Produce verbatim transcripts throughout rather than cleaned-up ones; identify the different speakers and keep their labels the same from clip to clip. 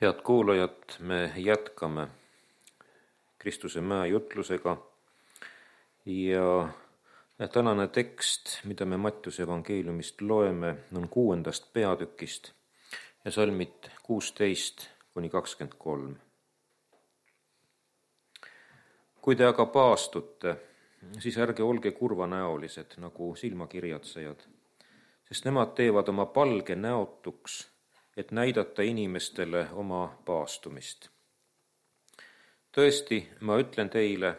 Speaker 1: Head kuulajad, me jätkame Kristuse mäe jutlusega ja tänane tekst, mida me Mattiuse evangeeliumist loeme, on kuuendast peatükist ja salmid kuusteist kuni kakskümmend kolm. Kui te aga paastute, siis ärge olge kurvanäolised nagu silmakirjatsejad, sest nemad teevad oma palge näotuks, et näidata inimestele oma paastumist. Tõesti, ma ütlen teile,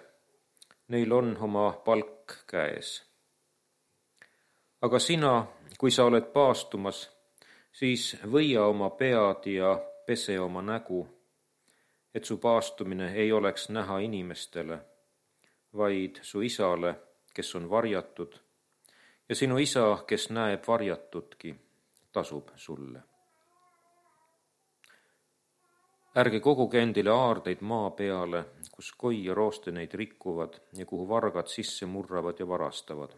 Speaker 1: neil on oma palk käes. Aga sina, kui sa oled paastumas, siis võia oma pead ja pese oma nägu, et su paastumine ei oleks näha inimestele, vaid su isale, kes on varjatud, ja sinu isa, kes näeb varjatudki, tasub sulle. Ärge koguge endile aardeid maa peale, kus koi ja rooste neid rikkuvad ja kuhu vargad sisse murravad ja varastavad.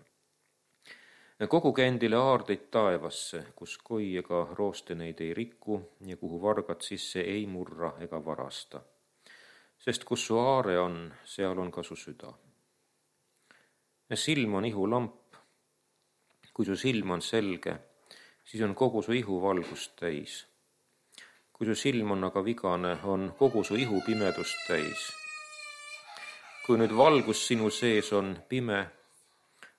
Speaker 1: Koguge endile aardeid taevasse, kus koi ega rooste neid ei riku ja kuhu vargad sisse ei murra ega varasta. Sest kus su aare on, seal on ka su süda. Silm on ihu lamp. Kui su silm on selge, siis on kogu su ihu valgust täis. Kui su silm on aga vigane, on kogu su ihu pimedust täis. Kui nüüd valgus sinu sees on pime,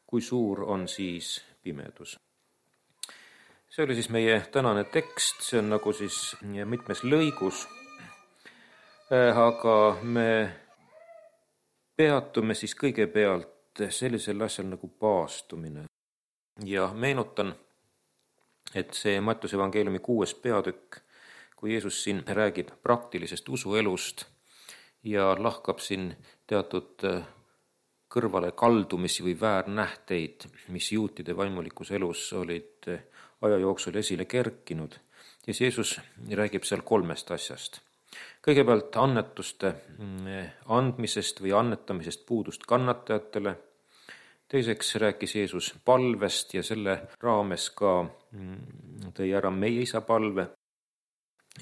Speaker 1: kui suur on siis pimedus. See oli siis meie tänane tekst, see on nagu siis mitmes lõigus, aga me peatume siis kõigepealt sellisel asjal nagu paastumine. Ja meenutan, et see Mattiuse evangeeliumi kuues peatükk, kui Jeesus siin räägib praktilisest usuelust ja lahkab siin teatud kõrvale kaldumisi või väärnähteid, mis juutide vaimulikus elus olid aja jooksul esile kerkinud, siis Jeesus räägib seal kolmest asjast. Kõigepealt annetuste andmisest või annetamisest puudust kannatajatele, teiseks rääkis Jeesus palvest ja selle raames ka tõi ära meie isa palve.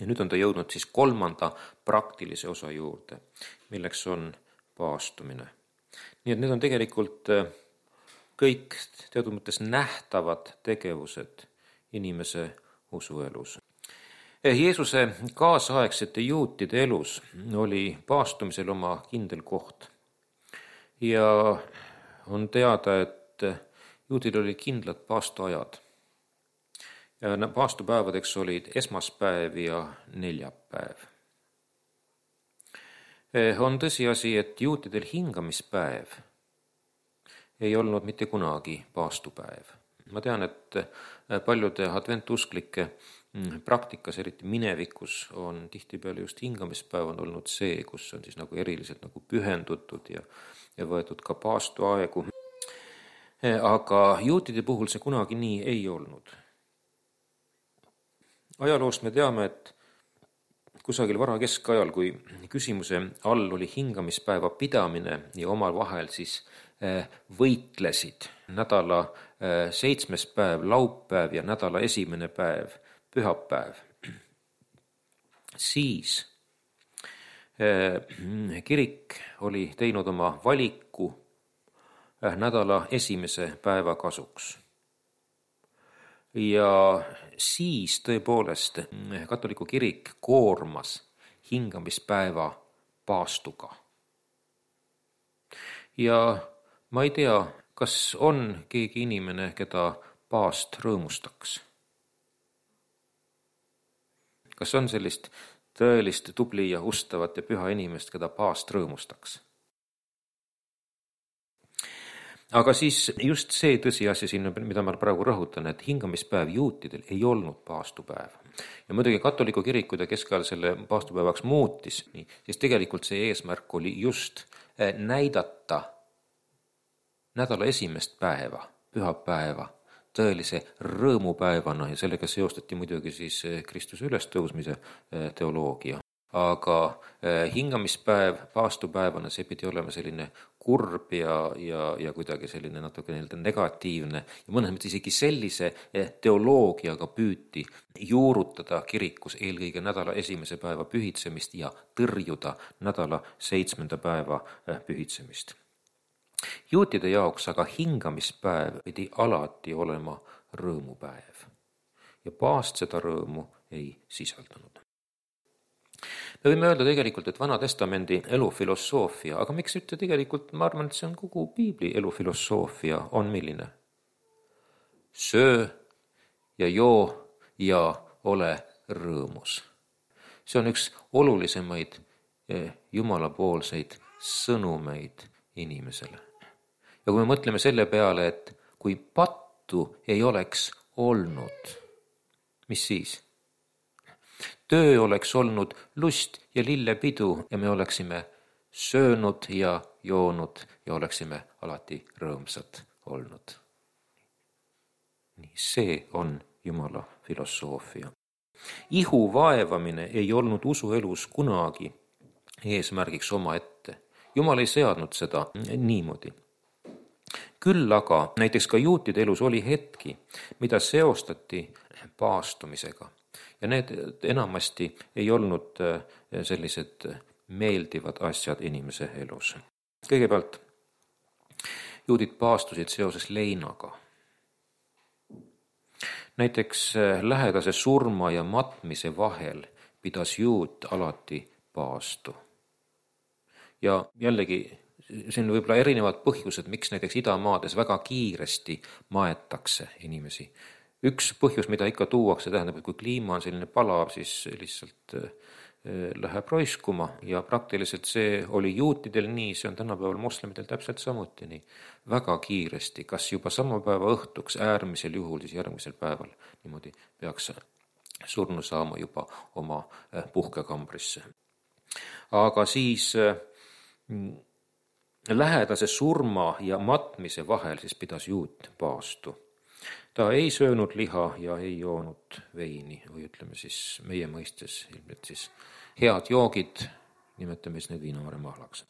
Speaker 1: Ja nüüd on ta jõudnud siis kolmanda praktilise osa juurde, milleks on paastumine. Nii et need on tegelikult kõik teatud mõttes nähtavad tegevused inimese usuelus. Jeesuse kaasaegsete juutide elus oli paastumisel oma kindel koht. Ja on teada, et juutidel oli kindlad paastuajad. Ja paastupäevadeks olid esmaspäev ja neljapäev. On tõsiasi, et juutidel hingamispäev ei olnud mitte kunagi paastupäev. Ma tean, et paljude adventusklike praktikas, eriti minevikus, on tihtipeale just hingamispäev on olnud see, kus on siis nagu eriliselt nagu pühendutud ja, ja võetud ka paastuaegu. Aga juutide puhul see kunagi nii ei olnud. Ajaloost me teame, et kusagil vara keskajal, kui küsimuse all oli hingamispäeva pidamine ja omal vahel siis võitlesid nädala seitsmes päev, laupäev ja nädala esimene päev, pühapäev, siis kirik oli teinud oma valiku nädala esimese päeva kasuks. Ja siis tõepoolest katoliku kirik koormas hingamispäeva paastuga. Ja ma ei tea, kas on keegi inimene, keda paast rõõmustaks. Kas on sellist tõelist tubli ja ustavat ja püha inimest, keda paast rõõmustaks? Aga siis just see tõsiasi siin, mida ma praegu rõhutan, et hingamispäev juutidel ei olnud paastupäev. Ja muidugi katoliku kirik, kui ta keskajal selle paastupäevaks muutis, siis tegelikult see eesmärk oli just näidata nädala esimest päeva, pühapäeva, tõelise rõõmupäevana ja sellega seostati muidugi siis Kristuse ülestõusmise teoloogia. aga hingamispäev paastupäevana, see pidi olema selline kurb ja, ja, ja kuidagi selline natuke nii-öelda negatiivne ja mõnes mõttes isegi sellise teoloogiaga püüti juurutada kirikus eelkõige nädala esimese päeva pühitsemist ja tõrjuda nädala seitsmenda päeva pühitsemist. Juutide jaoks aga hingamispäev pidi alati olema rõõmupäev ja paast seda rõõmu ei sisaldanud. Me võime öelda tegelikult, et Vana Testamendi elufilosoofia, aga miks ütle tegelikult, ma arvan, et see on kogu Piibli elufilosoofia, on milline? Söö ja joo ja ole rõõmus. See on üks olulisemaid jumalapoolseid sõnumeid inimesele. Ja kui me mõtleme selle peale, et kui pattu ei oleks olnud, mis siis? Töö oleks olnud lust ja lillepidu ja me oleksime söönud ja joonud ja oleksime alati rõõmsad olnud. Nii see on Jumala filosoofia. Ihu vaevamine ei olnud usuelus kunagi eesmärgiks oma ette. Jumal ei seadnud seda niimoodi. Küll aga näiteks ka juutide elus oli hetki, mida seostati paastumisega. Ja need enamasti ei olnud sellised meeldivad asjad inimese elus. Kõigepealt juudid paastusid seoses leinaga. Näiteks lähedase surma ja matmise vahel pidas juut alati paastu. Ja jällegi, see on võib-olla erinevad põhjused, miks näiteks idamaades väga kiiresti maetakse inimesi. Üks põhjus, mida ikka tuuakse, tähendab, et kui kliima on selline palav, siis lihtsalt läheb roiskuma ja praktiliselt see oli juutidel nii, see on tänapäeval moslemidel täpselt samuti nii. Väga kiiresti, kas juba sama päeva õhtuks, äärmisel juhul, siis järgmisel päeval niimoodi peaks surnu saama juba oma puhkekambrisse. Aga siis lähedase surma ja matmise vahel siis pidas juut paastu. Ta ei söönud liha ja ei joonud veini või ütleme siis meie mõistes ilmselt siis head joogid, nimetame siis need viinavaremahlaks.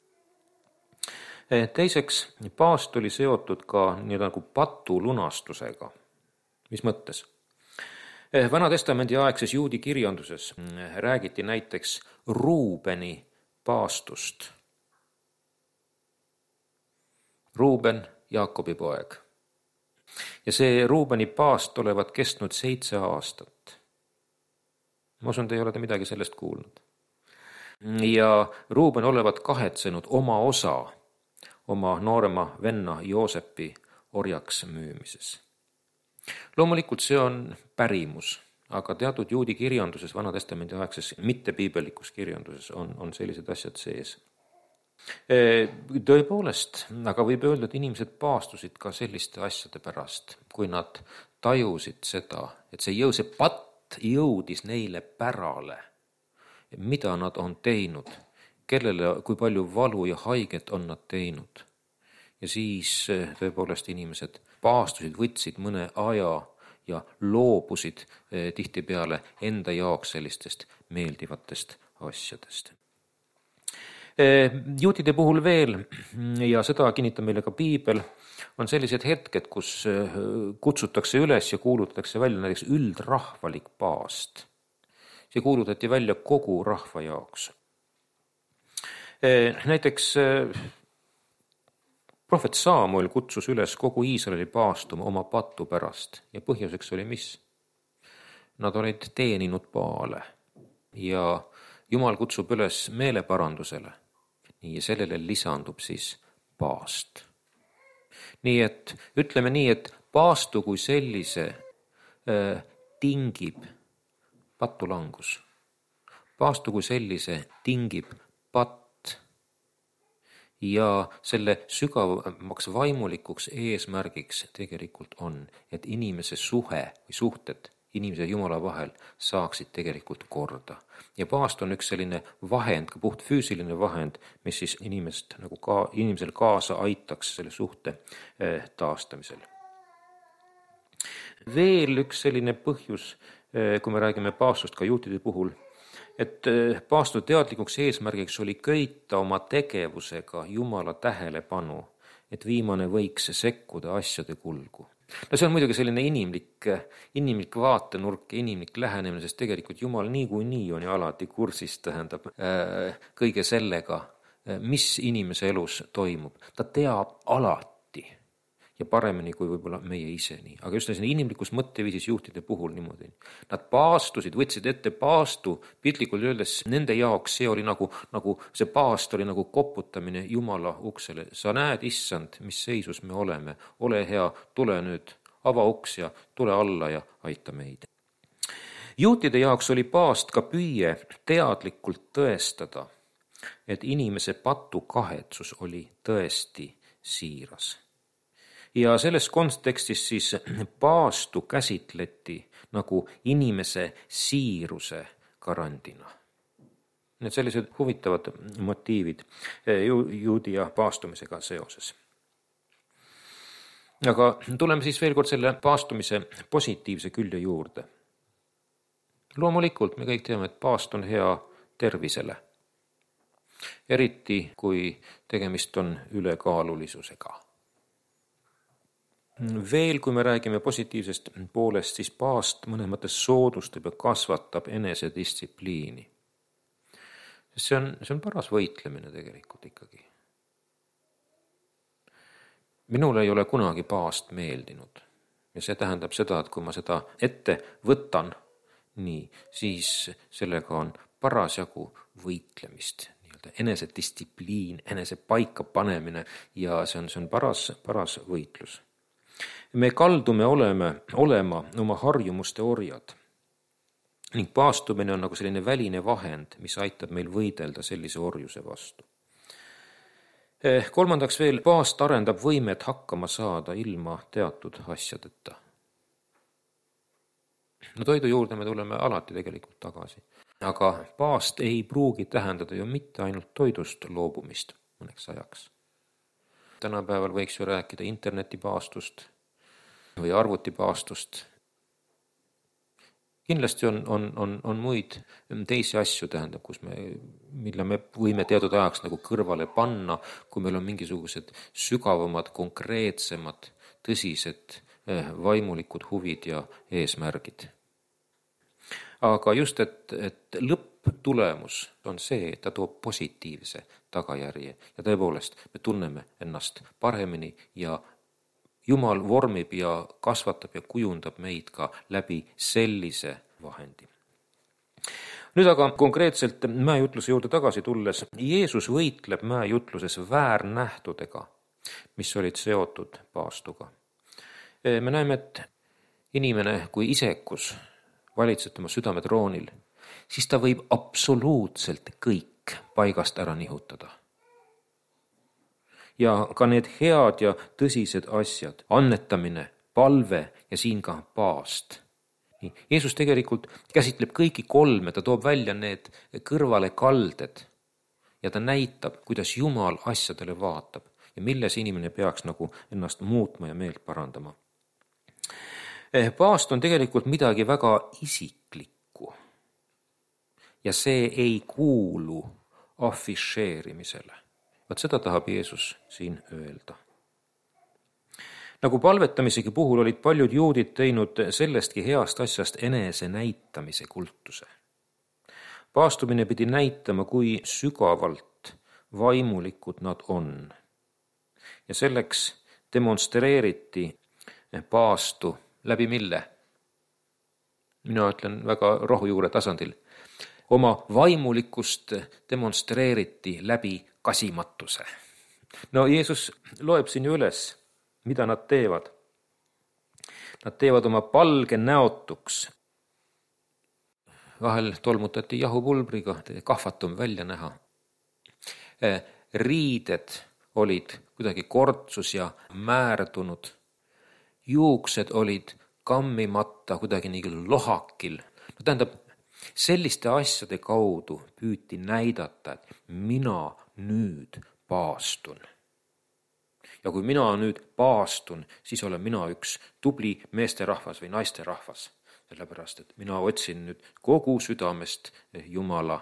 Speaker 1: Teiseks, paast oli seotud ka nii nagu patu lunastusega. Mis mõttes? Vana Testamendi aegses juudi kirjanduses räägiti näiteks Ruubeni paastust. Ruuben, Jaakobi poeg. Ja see Ruubeni paast olevat kestnud seitse aastat. Ma usun, te ei ole te midagi sellest kuulnud. Ja Ruuben olevat kahetsenud oma osa oma noorema venna Joosepi orjaks müümises. Loomulikult see on pärimus, aga teatud juudi kirjanduses, Vana Testamendi aegses, mitte piibelikus kirjanduses on, on sellised asjad sees. Tõepoolest, aga võib öelda, et inimesed paastusid ka selliste asjade pärast, kui nad tajusid seda, et see jõu, see patt jõudis neile pärale, mida nad on teinud, kellele, kui palju valu ja haiget on nad teinud. Ja siis tõepoolest inimesed paastusid, võtsid mõne aja ja loobusid tihtipeale enda jaoks sellistest meeldivatest asjadest. Juutide puhul veel, ja seda kinnitab meile ka Piibel, on sellised hetked, kus kutsutakse üles ja kuulutatakse välja näiteks üldrahvalik paast. See kuulutati välja kogu rahva jaoks. Näiteks prohvet Saamuel kutsus üles kogu Iisraeli paastuma oma patu pärast ja põhjuseks oli mis? Nad olid teeninud Baale ja Jumal kutsub üles meeleparandusele. Nii ja sellele lisandub siis paast. Nii et ütleme nii, et paastu kui sellise äh, tingib patulangus. Paastu kui sellise tingib patt ja selle sügavamaks vaimulikuks eesmärgiks tegelikult on, et inimese suhe või suhted inimese ja Jumala vahel saaksid tegelikult korda. Ja paast on üks selline vahend, ka puht füüsiline vahend, mis siis inimest, nagu ka, inimesel kaasa aitaks selle suhte eh, taastamisel. Veel üks selline põhjus, eh, kui me räägime paastust ka juutide puhul, et paastu teadlikuks eesmärgiks oli köita oma tegevusega Jumala tähelepanu, et viimane võiks sekkuda asjade kulgu. No see on muidugi selline inimlik, inimlik vaatenurk ja inimlik lähenemine, sest tegelikult Jumal niikuinii on ja alati kursis, tähendab äh, kõige sellega, mis inimese elus toimub. Ta teab alati ja paremini kui võib-olla meie ise nii. Aga just selline inimlikus mõtteviisis juhtide puhul niimoodi. Nad paastusid, võtsid ette paastu, piltlikult öeldes nende jaoks see oli nagu, nagu see paast oli nagu koputamine Jumala uksele. Sa näed, issand, mis seisus me oleme. Ole hea, tule nüüd, ava uks ja tule alla ja aita meid. Juutide jaoks oli paast ka püüe teadlikult tõestada, et inimese patu kahetsus oli tõesti siiras. Ja selles kontekstis siis paastu käsitleti nagu inimese siiruse garandina. Need sellised huvitavad motiivid ju, juudi ja paastumisega seoses. Aga tuleme siis veel kord selle paastumise positiivse külje juurde. Loomulikult me kõik teame, et paast on hea tervisele. Eriti kui tegemist on ülekaalulisusega. Veel kui me räägime positiivsest poolest, siis paast mõnes mõttes soodustab ja kasvatab enesedistsipliini. See on, see on paras võitlemine tegelikult ikkagi. Minul ei ole kunagi paast meeldinud. Ja see tähendab seda, et kui ma seda ette võtan, nii, siis sellega on parasjagu võitlemist. Enesedistsipliin, enese paika panemine ja see on, see on paras, paras võitlus. Me kaldume oleme, olema oma harjumuste orjad ning paastumine on nagu selline väline vahend, mis aitab meil võidelda sellise orjuse vastu. Kolmandaks veel, paast arendab võimet hakkama saada ilma teatud asjadeta. No toidu juurde me tuleme alati tegelikult tagasi. Aga paast ei pruugi tähendada ju mitte ainult toidust loobumist mõneks ajaks. Tänapäeval võiks ju rääkida internetipaastust või arvutipaastust. Kindlasti on, on, on, on muid teisi asju, tähendab, kus me, mille me võime teatud ajaks nagu kõrvale panna, kui meil on mingisugused sügavamad, konkreetsemad, tõsised vaimulikud huvid ja eesmärgid. Aga just, et, et lõpptulemus on see, et ta toob positiivse tagajärje ja tõepoolest me tunneme ennast paremini ja Jumal vormib ja kasvatab ja kujundab meid ka läbi sellise vahendi. Nüüd aga konkreetselt mäejutluse juurde tagasi tulles, Jeesus võitleb mäejutluses väärnähtudega, mis olid seotud paastuga. Me näeme, et inimene kui isekus valitseb tema südametroonil, siis ta võib absoluutselt kõik paigast ära nihutada. Ja ka need head ja tõsised asjad, annetamine, palve ja siin ka paast. Jeesus tegelikult käsitleb kõiki kolme, ta toob välja need kõrvale kalded ja ta näitab, kuidas Jumal asjadele vaatab ja milles inimene peaks nagu ennast muutma ja meelt parandama. Paast on tegelikult midagi väga isiklikku ja see ei kuulu afišeerimisele. Vaat seda tahab Jeesus siin öelda. Nagu palvetamisegi puhul olid paljud juudid teinud sellestki heast asjast enese näitamise kultuse. Paastumine pidi näitama, kui sügavalt vaimulikud nad on. Ja selleks demonstreeriti paastu läbi mille? Mina ütlen väga rohujuure tasandil. Oma vaimulikust demonstreeriti läbi kasimatuse. No Jeesus loeb siin üles, mida nad teevad. Nad teevad oma palge näotuks. Vahel tolmutati jahupulbriga, kahvatum välja näha. Riided olid kuidagi kortsus ja määrdunud. Juuksed olid kammimata kuidagi nii lohakil. No tähendab, selliste asjade kaudu püüti näidata, et mina nüüd paastun. Ja kui mina nüüd paastun, siis olen mina üks tubli meesterahvas või naisterahvas. sellepärast et mina otsin nüüd kogu südamest Jumala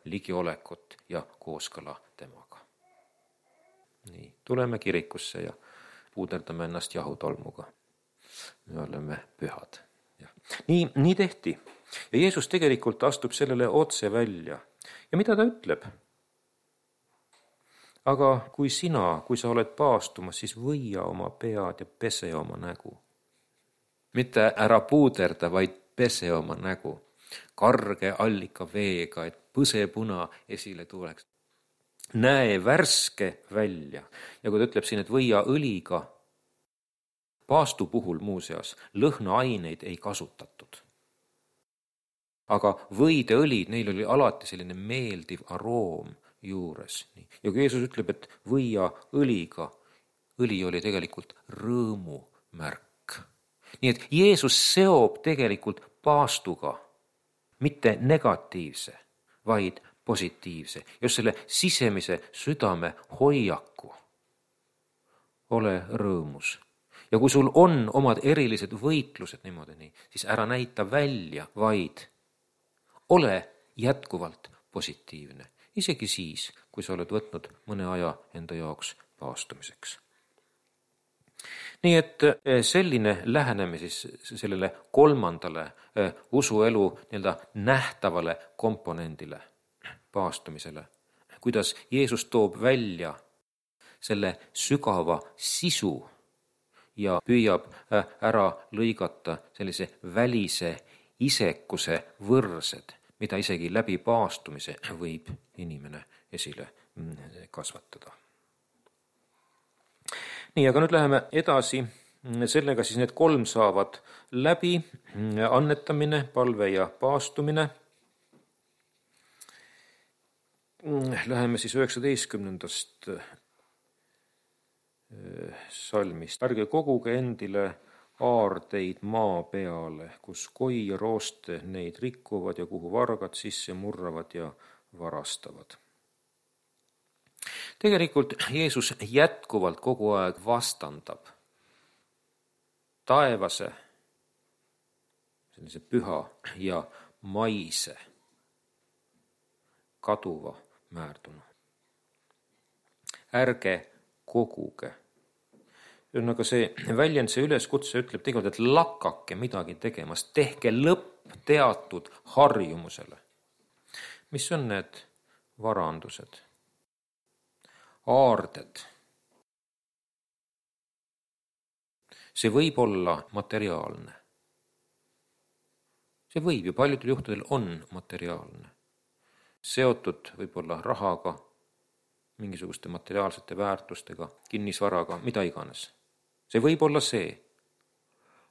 Speaker 1: ligiolekut ja kooskõla temaga. Nii, tuleme kirikusse ja puuderdame ennast jahutolmuga. Me oleme pühad. Ja. Nii, nii tehti. Ja Jeesus tegelikult astub sellele otse välja. Ja mida ta ütleb? Aga kui sina, kui sa oled paastumas, siis võia oma pead ja pese oma nägu. Mitte ära puuderda, vaid pese oma nägu. Karge allika veega, et põsepuna esile tuleks. Näe värske välja. Ja kui ta ütleb siin, et võia õliga, paastu puhul muuseas lõhnaaineid ei kasutatud. Aga võideõlid, neil oli alati selline meeldiv aroom juures. Ja kui Jeesus ütleb, et võia õliga, õli oli tegelikult rõõmu märk. Nii et Jeesus seob tegelikult paastuga mitte negatiivse, vaid positiivse. Just selle sisemise südame hoiaku. Ole rõõmus. Ja kui sul on omad erilised võitlused niimoodi nii, siis ära näita välja, vaid ole jätkuvalt positiivne. Isegi siis, kui sa oled võtnud mõne aja enda jaoks paastumiseks. Nii et selline lähenemine siis sellele kolmandale usuelu nii-öelda nähtavale komponendile, paastumisele, kuidas Jeesus toob välja selle sügava sisu ja püüab ära lõigata sellise välise isekuse võrsed, mida isegi läbi paastumise võib inimene esile kasvatada. Nii, aga nüüd läheme edasi. Sellega siis need kolm saavad läbi, annetamine, palve ja paastumine. Läheme siis üheksateistkümnendast salmist. Ärge koguge endile aardeid maa peale, kus koi ja rooste neid rikkuvad ja kuhu vargad sisse murravad ja varastavad. Tegelikult Jeesus jätkuvalt kogu aeg vastandab taevase, sellise püha ja maise kaduva määrduna. Ärge koguge. Aga see väljend, see üleskutse ütleb tegelikult, et lakake midagi tegemast, tehke lõpp teatud harjumusele. Mis on need varandused? Aarded. See võib olla materiaalne. See võib ju paljudel juhtudel on materiaalne. Seotud võib-olla rahaga, mingisuguste materiaalsete väärtustega, kinnisvaraga, mida iganes. See võib olla see.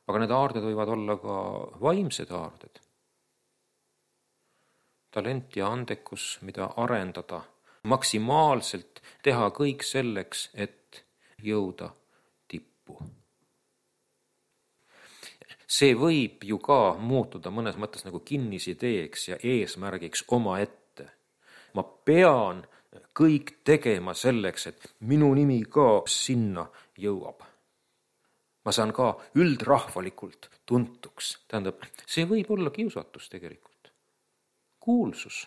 Speaker 1: Aga need aarded võivad olla ka vaimsed aarded. Talent ja andekus, mida arendada, maksimaalselt teha kõik selleks, et jõuda tippu. See võib ju ka muutuda mõnes mõttes nagu kinnisideeks ja eesmärgiks oma ette. Ma pean kõik tegema selleks, et minu nimi ka sinna jõuab. Ma saan ka üldrahvalikult tuntuks. Tähendab, see võib olla kiusatus tegelikult. Kuulsus.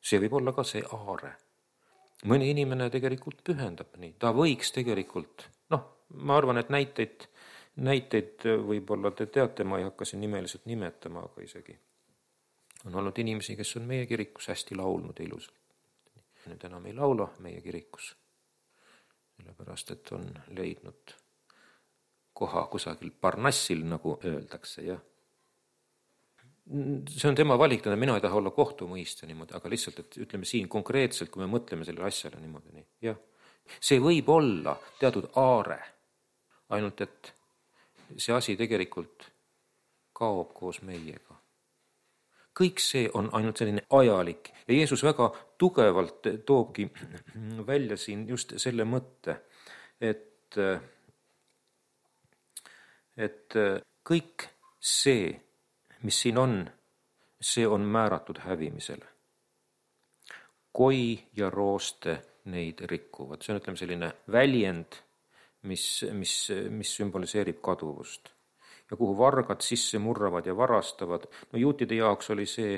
Speaker 1: See võib olla ka see aare. Mõni inimene tegelikult pühendab nii. Ta võiks tegelikult, noh, ma arvan, et näiteid, näiteid võib-olla te teate, ma ei hakka siin nimeliselt nimetama, aga isegi on olnud inimesi, kes on meie kirikus hästi laulnud ilusalt. Nüüd enam ei laula meie kirikus, sellepärast, et on leidnud koha kusagil Parnassil, nagu öeldakse, jah. See on tema valik, mina ei taha olla kohtumõistja niimoodi, aga lihtsalt, et ütleme siin konkreetselt, kui me mõtleme selle asjale niimoodi, nii, jah. See võib olla teatud aare, ainult et see asi tegelikult kaob koos meiega. Kõik see on ainult selline ajalik ja Jeesus väga tugevalt toobki välja siin just selle mõtte, et, et kõik see, mis siin on, see on määratud hävimisele. Koi ja rooste neid rikkuvad. See on, ütleme, selline väljend, mis, mis, mis sümboliseerib kaduvust. ja kuhu vargad sisse murravad ja varastavad. No juutide jaoks oli see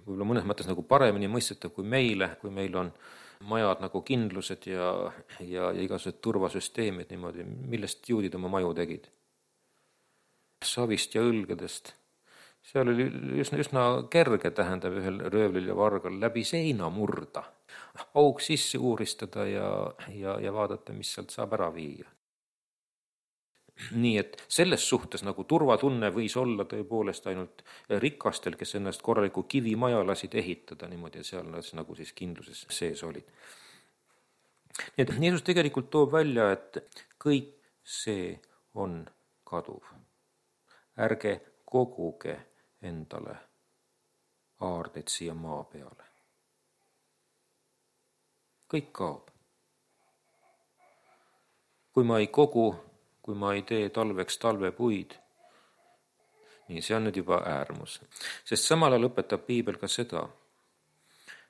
Speaker 1: võib-olla mõnes mõttes nagu paremini mõistetav kui meile, kui meil on majad nagu kindlused ja, ja, ja igasugused turvasüsteemid niimoodi, millest juudid oma maju tegid. Savist ja õlgedest. Seal oli üsna, üsna kerge, tähendab ühel röövlil ja vargal läbi seina murda, auk sisse uuristada ja, ja, ja vaadata, mis sealt saab ära viia. Nii et selles suhtes nagu turvatunne võis olla tõepoolest ainult rikastel, kes ennast korraliku kivimaja lasid ehitada niimoodi, ja seal nad nagu siis kindluses sees olid. Nii et Jeesus tegelikult toob välja, et kõik see on kaduv. Ärge koguge endale aardeid siia maa peale. Kõik kaob. Kui ma ei kogu, kui ma ei tee talveks talvepuid, nii see on nüüd juba äärmus. Sest samal ajal õpetab Piibel ka seda,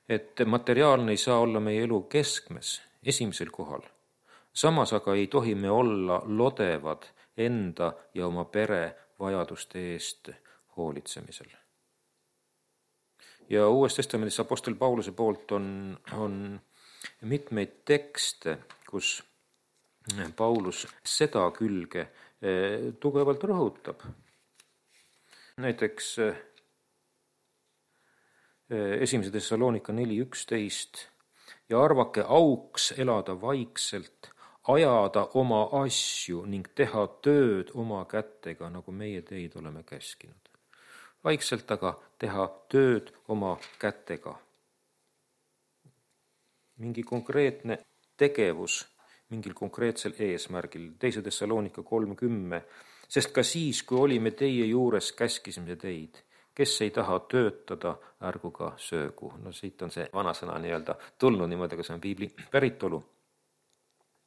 Speaker 1: et materiaalne ei saa olla meie elu keskmes, esimesel kohal. Samas aga ei tohi me olla lodevad enda ja oma pere vajaduste eest hoolitsemisel. Ja Uues Testamendis apostel Pauluse poolt on, on mitmeid tekste, kus Paulus seda külge tugevalt rõhutab. Näiteks esimese Thessalonika neli üksteist ja arvake auks elada vaikselt, ajada oma asju ning teha tööd oma kätega, nagu meie teid oleme käskinud. Vaikselt aga teha tööd oma kätega. Mingi konkreetne tegevus mingil konkreetsel eesmärgil, teise Thessalonika kolm kümme, sest ka siis, kui olime teie juures, käskisime teid, kes ei taha töötada, ärgu ka söögu. No siit on see vanasõna nii-öelda tulnud niimoodi, aga see on piibli päritolu.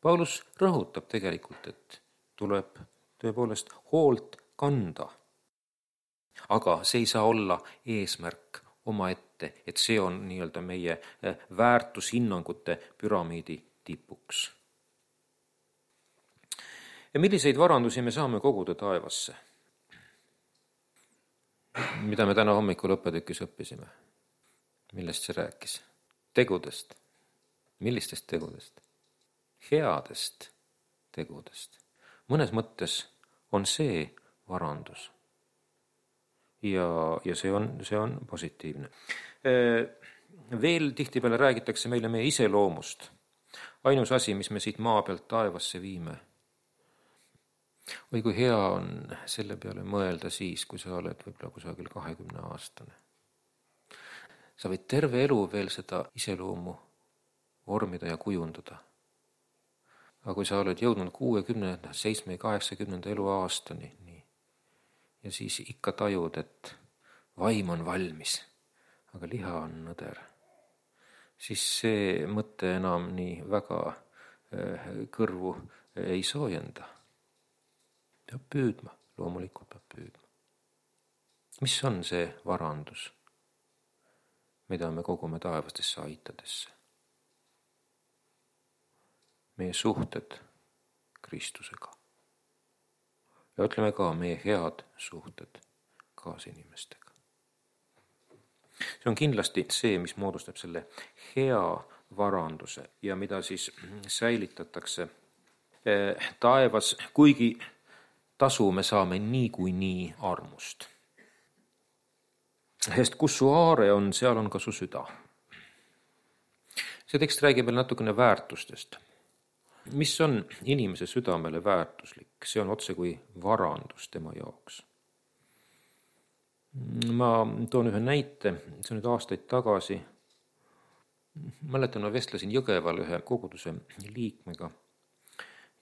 Speaker 1: Paulus rõhutab tegelikult, et tuleb tõepoolest hoolt kanda. Aga see ei saa olla eesmärk omaette, et see on nii-öelda meie väärtushinnangute püramiidi tipuks. Ja milliseid varandusi me saame koguda taevasse? Mida me täna hommikul õppetükis õppisime? Millest see rääkis? Tegudest. Millistest tegudest? Headest tegudest. Mõnes mõttes on see varandus. Ja, ja see on, see on positiivne. Veel tihtipeale räägitakse meile meie iseloomust. Ainus asi, mis me siit maa pealt taevasse viime. Või kui hea on selle peale mõelda siis, kui sa oled võib-olla kusagil kahekümne aastane. Sa võid terve elu veel seda iseloomu vormida ja kujundada. Aga kui sa oled jõudnud kuuekümne, seitsme, kaheksakümnenda elu aastani, nii, ja siis ikka tajud, et vaim on valmis, aga liha on nõder, siis see mõte enam nii väga kõrvu ei soojenda. Peab püüdma, loomulikult peab püüdma. Mis on see varandus, mida me kogume taevastesse aitadesse? Meie suhted Kristusega. Ja ütleme ka meie head suhted kaasinimestega. See on kindlasti see, mis moodustab selle hea varanduse ja mida siis säilitatakse taevas, kuigi tasu me saame nii kui nii armust. Sest kus su aare on, seal on ka su süda. See tekst räägib veel natukene väärtustest. Mis on inimese südamele väärtuslik? See on otse kui varandus tema jaoks. Ma toon ühe näite, see on nüüd aastaid tagasi. Mäletan, ma vestlesin Jõgeval ühe koguduse liikmega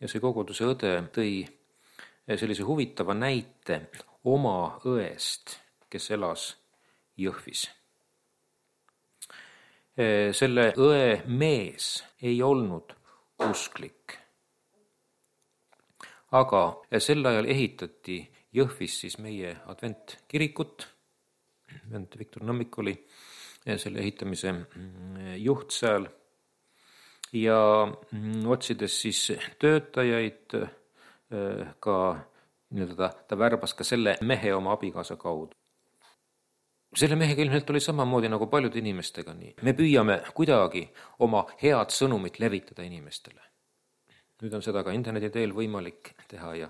Speaker 1: ja see koguduse õde tõi sellise huvitava näite oma õest, kes elas Jõhvis. Selle õe mees ei olnud usklik. Aga sel ajal ehitati Jõhvis siis meie adventkirikut. Viktor Nõmmik oli selle ehitamise juht seal. Ja otsides siis töötajaid, ka ta, ta värbas ka selle mehe oma abikaasa kaudu. Selle mehega ilmselt oli samamoodi nagu paljude inimestega nii. Me püüame kuidagi oma head sõnumit levitada inimestele. Nüüd on seda ka interneti teel võimalik teha ja,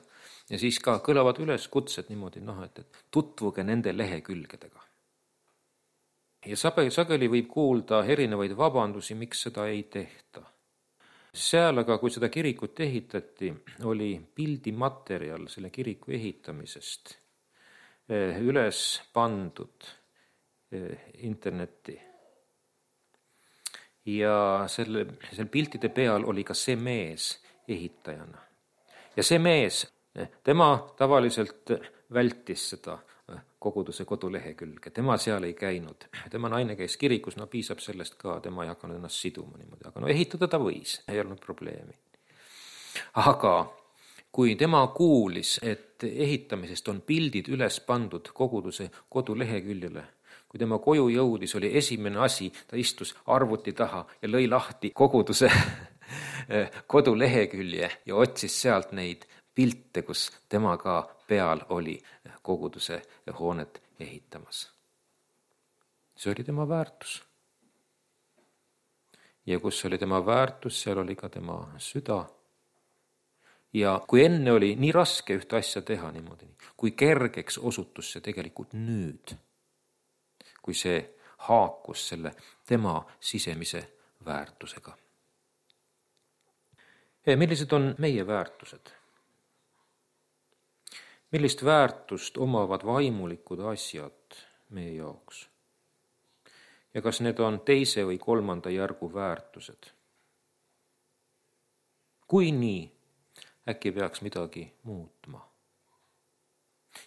Speaker 1: ja siis ka kõlavad üles kutsed niimoodi, noh, et, et tutvuge nende lehekülgedega. Ja sageli võib kuulda erinevaid vabandusi, miks seda ei tehta. Seal aga, kui seda kirikut ehitati, oli pildimaterjal selle kiriku ehitamisest üles pandud internetti. Ja selle, selle piltide peal oli ka see mees ehitajana. Ja see mees, tema tavaliselt vältis seda koguduse kodulehekülge. Tema seal ei käinud. Tema naine käis kirikus, no piisab sellest ka, tema ei hakanud ennast siduma niimoodi. Aga no ehitada ta võis, ei olnud probleemi. Aga kui tema kuulis, et ehitamisest on pildid üles pandud koguduse koduleheküljele, kui tema koju jõudis, oli esimene asi, ta istus arvuti taha ja lõi lahti koguduse kodulehekülje ja otsis sealt neid pilte, kus tema ka peal oli koguduse hoonet ehitamas. See oli tema väärtus. Ja kus oli tema väärtus, seal oli ka tema süda. Ja kui enne oli nii raske ühte asja teha niimoodi, kui kergeks osutus see tegelikult nüüd, kui see haakus selle tema sisemise väärtusega. Millised on meie väärtused? Millist väärtust omavad vaimulikud asjad meie jaoks? Ja kas need on teise või kolmanda järgu väärtused? Kui nii, äkki peaks midagi muutma?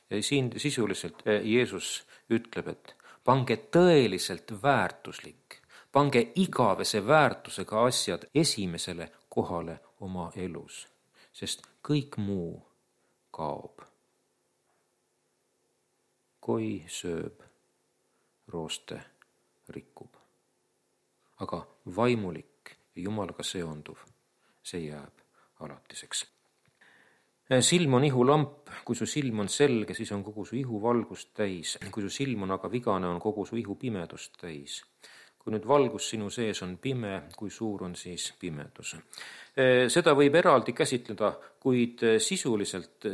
Speaker 1: Ja siin sisuliselt Jeesus ütleb, et pange tõeliselt väärtuslik, pange igavese väärtusega asjad esimesele kohale oma elus, sest kõik muu kaob. Koi sööb, rooste rikkub. Aga vaimulik ja Jumalaga seonduv, see jääb alatiseks. Silm on ihulamp, kui su silm on selge, siis on kogu su ihu valgust täis. Kui su silm on aga vigane, on kogu su ihu pimedust täis. Kui nüüd valgus sinu sees on pime, kui suur on siis pimedus. Seda võib eraldi käsitleda, kuid sisuliselt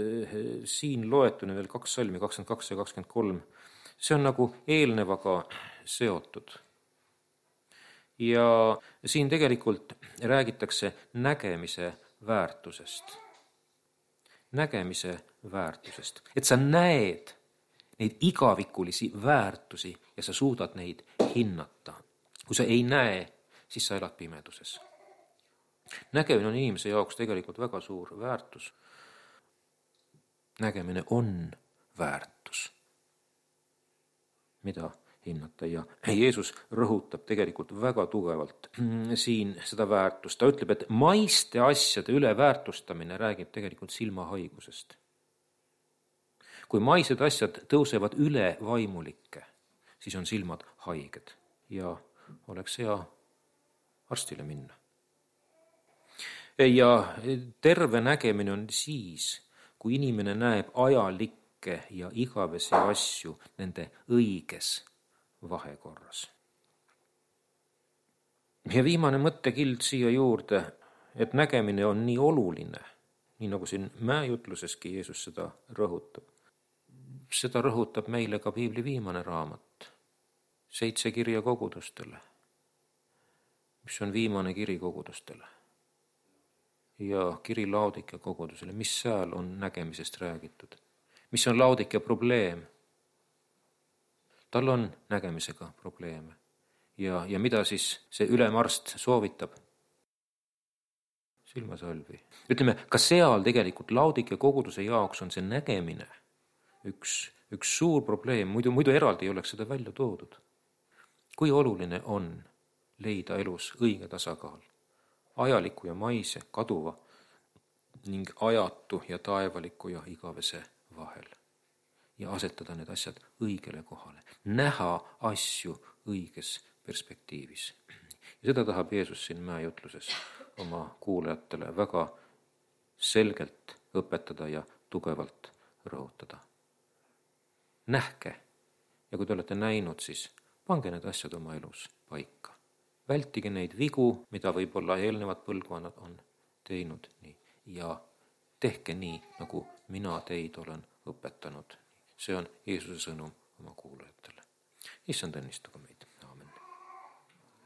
Speaker 1: siin loetune veel kaks salmi, kakskümmend kaks ja kakskümmend kolm. See on nagu eelnevaga seotud. Ja siin tegelikult räägitakse nägemise väärtusest. Nägemise väärtusest. Et sa näed neid igavikulisi väärtusi ja sa suudad neid hinnata. Kui sa ei näe, siis sa elad pimeduses. Nägemine on inimese jaoks tegelikult väga suur väärtus. Nägemine on väärtus, mida hinnata. Ja Jeesus rõhutab tegelikult väga tugevalt siin seda väärtust. Ta ütleb, et maiste asjade üle väärtustamine räägib tegelikult silmahaigusest. Kui maised asjad tõusevad üle vaimulikke, siis on silmad haiged ja oleks hea arstile minna. Ja terve nägemine on siis, kui inimene näeb ajalikke ja igavesi asju nende õiges vahekorras. Ja viimane mõttekild siia juurde, et nägemine on nii oluline, nii nagu siin mäejutluseski Jeesus seda rõhutab. Seda rõhutab meile ka Piibli viimane raamat, seitse kirja kogudustele, mis on viimane kiri kogudustele. Ja kiri Laodikea kogudusele, mis seal on nägemisest räägitud. Mis on Laodikea probleem? Tal on nägemisega probleeme. Ja, ja mida siis see ülemarst soovitab? Silmasalvi. Ütleme, ka seal tegelikult Laodikea koguduse jaoks on see nägemine üks, üks suur probleem, muidu, muidu eraldi ei oleks seda välja toodud. Kui oluline on leida elus õige tasakaal, ajaliku ja maise, kaduva ning ajatu ja taevaliku ja igavese vahel ja asetada need asjad õigele kohale, näha asju õiges perspektiivis. Ja seda tahab Jeesus siin mäejutluses oma kuulajatele väga selgelt õpetada ja tugevalt rõhutada. Nähke ja kui te olete näinud, siis pange need asjad oma elus paika. Vältige neid vigu, mida võib-olla eelnevad põlvkonnad on teinud nii, ja tehke nii, nagu mina teid olen õpetanud. See on Jeesuse sõnum oma kuulajatele. Issand õnnistagu meid.